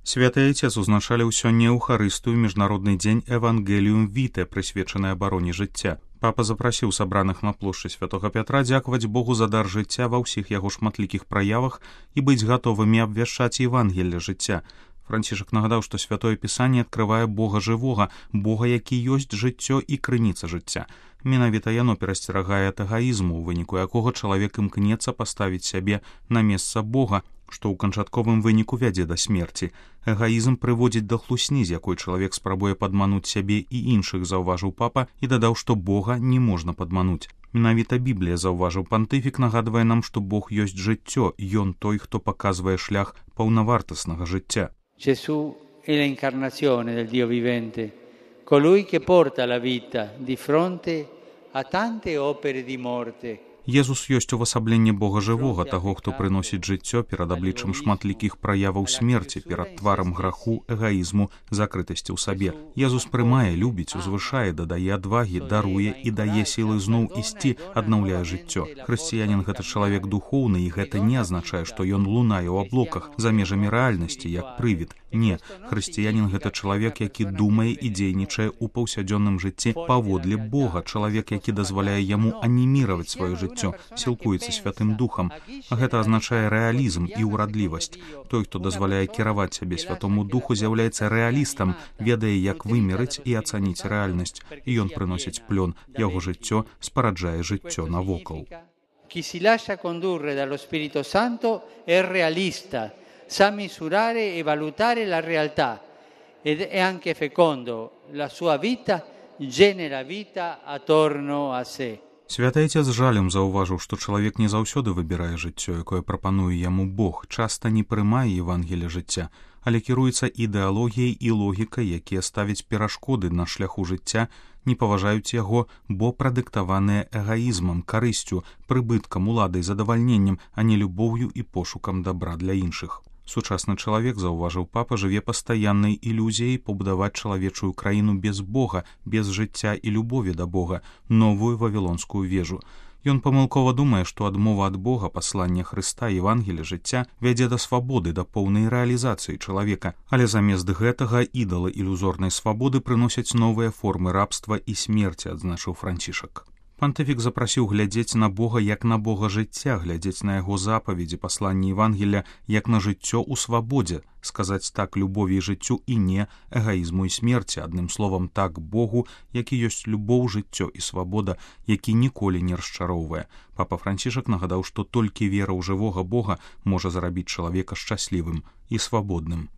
Святы Айцец узначаліў сёння Еўхарыстыю міжнародны дзень Евангеліум Віте, прысвечаны абароне жыцця. Папа запрасіў сабраных на плошчы Святога Пятра дзякаваць Богу за дар жыцця ва ўсіх яго шматлікіх праявах і быць гатовымі абвяшчаць Евангелле жыцця. Францішак нагадаў, што Святое Пісанне адкрывае Бога жывога, Бога, які ёсць жыццё і крыніца жыцця. Менавіта яно перасцерагае ад эгаізму, у выніку якога чалавек імкнецца паставіць сябе на месца Бога, што ў канчатковым выніку вядзе да смерці. Эгаізм прыводзіць да хлусні, з якой чалавек спрабуе падмануць сябе і іншых, заўважыў папа, і дадаў, што Бога не можна падмануць. Менавіта Біблія, заўважыў пантыфік, нагадвае нам, што Бог ёсць жыццё, ён той, хто паказвае шлях паўнавартаснага жыцця. Gesù è l'incarnazione del Dio vivente, colui che porta la vita di fronte a tante opere di morte. Езус ёсць увасабленне Бога жывога, таго, хто прыносіць жыццё перад абліччам шматлікіх праяваў смерці, перад тварам граху, эгаізму, закрытасці ў сабе. Езус прымае, любіць, узвышае, дадае адвагі, даруе і дае сілы зноў ісці, аднаўляе жыццё. Хрысціянін — гэта чалавек духоўны, і гэта не азначае, што ён лунае ў аблоках, за межамі рэальнасці, як прывід. Не, хрысціянін — гэта чалавек, які думае і дзейнічае ў паўсядзённым жыцці паводле Бога, чалавек, які дазваляе яму аніміраваць сваё жыццё, сілкуецца Святым Духам. Гэта азначае рэалізм і ўрадлівасць. Той, хто дазваляе кіраваць сябе Святому Духу, з'яўляецца рэалістам, ведае, як вымерыць і ацаніць рэальнасць, і ён прыносіць плён, яго жыццё спараджае жыццё навокал. Chi si lascia condurre dallo Spirito Santo è realista, sa misurare e valutare la realtà ed è anche fecondo. La sua vita genera vita attorno a sé. Святы Айцец з жалем заўважыў, што чалавек не заўсёды выбірае жыццё, якое прапануе яму Бог, часта не прымае Евангелля жыцця, але кіруецца ідэалогіяй і логікай, якія ставяць перашкоды на шляху жыцця, не паважаюць яго, бо прадыктаваныя эгаізмам, карысцю, прыбыткам, уладай, задавальненнем, а не любоўю і пошукам дабра для іншых. Сучасны чалавек, заўважыў папа, жыве пастаяннай ілюзіяй пабудаваць чалавечую краіну без Бога, без жыцця і любові да Бога, новую вавілонскую вежу. Ён памылкова думае, што адмова ад Бога, паслання Хрыста, Евангелля жыцця вядзе да свабоды, да поўнай рэалізацыі чалавека, але замест гэтага ідалы ілюзорнай свабоды прыносяць новыя формы рабства і смерці, адзначыў Францішак. Пантыфік запрасіў глядзець на Бога як на Бога жыцця, глядзець на яго запаведзі, пасланні Евангелля як на жыццё ў свабодзе, сказаць так любові і жыццю і не эгаізму і смерці, адным словам так Богу, які ёсць любоў, жыццё і свабода, які ніколі не расчароўвае. Папа Францішак нагадаў, што толькі вера ў жывога Бога можа зрабіць чалавека шчаслівым і свабодным.